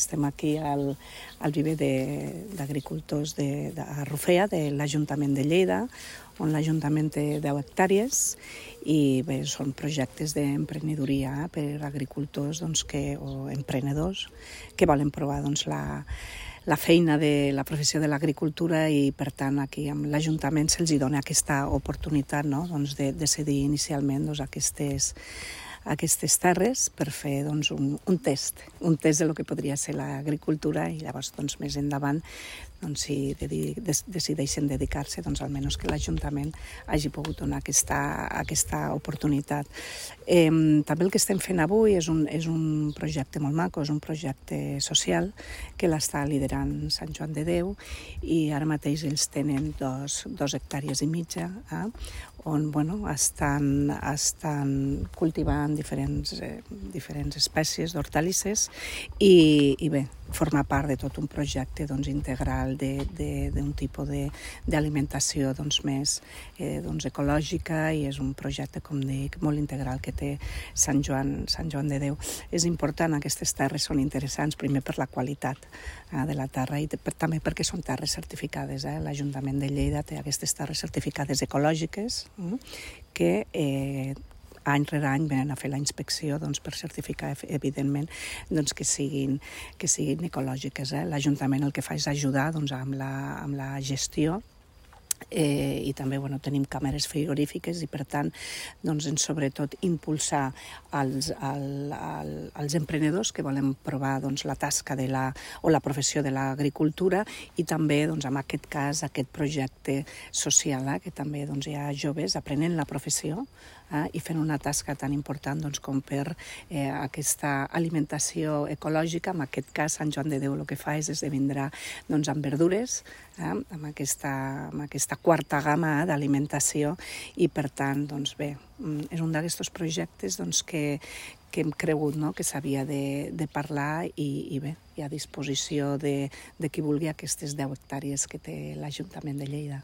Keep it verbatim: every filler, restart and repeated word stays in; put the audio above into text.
Estem aquí al, al viver d'agricultors de, de, de Rufea, de l'Ajuntament de Lleida, on l'Ajuntament té deu hectàrees i bé, són projectes d'emprenedoria per a agricultors doncs, que, o emprenedors que volen provar doncs, la, la feina de la professió de l'agricultura i, per tant, aquí amb l'Ajuntament se'ls dona aquesta oportunitat, no? doncs, de decidir inicialment doncs, aquestes aquestes terres per fer doncs, un, un test, un test del que podria ser l'agricultura i llavors doncs, més endavant doncs, si dedi, des, decideixen dedicar-se, doncs, almenys que l'Ajuntament hagi pogut donar aquesta, aquesta oportunitat. Eh, també el que estem fent avui és un, és un projecte molt maco, és un projecte social que l'està liderant Sant Joan de Déu i ara mateix ells tenen dos, dos hectàrees i mitja, eh, on bueno, estan, estan cultivant diferents, eh, diferents espècies d'hortalisses i, i bé, forma part de tot un projecte doncs, integral d'un tipus d'alimentació doncs, més eh, doncs, ecològica i és un projecte, com dic, molt integral que té Sant Joan, Sant Joan de Déu. És important, aquestes terres són interessants, primer per la qualitat eh, de la terra i per, també perquè són terres certificades. Eh? L'Ajuntament de Lleida té aquestes terres certificades ecològiques eh, que eh, any rere any venen a fer la inspecció doncs, per certificar, evidentment, doncs, que, siguin, que siguin ecològiques. Eh? L'Ajuntament el que fa és ajudar doncs, amb, la, amb la gestió Eh, i també bueno, tenim càmeres frigorífiques i per tant doncs, en sobretot impulsar els, el, el, els emprenedors que volen provar doncs, la tasca de la, o la professió de l'agricultura i també doncs, en aquest cas aquest projecte social eh, que també doncs, hi ha joves aprenent la professió eh, i fent una tasca tan important doncs, com per eh, aquesta alimentació ecològica. En aquest cas Sant Joan de Déu el que fa és esdevindrà doncs, amb verdures eh, amb aquesta, amb aquesta quarta gamma eh, d'alimentació i per tant, doncs bé, és un d'aquests projectes doncs, que, que hem cregut no? que s'havia de, de parlar i, i bé, hi ha a disposició de, de qui vulgui aquestes deu hectàrees que té l'Ajuntament de Lleida.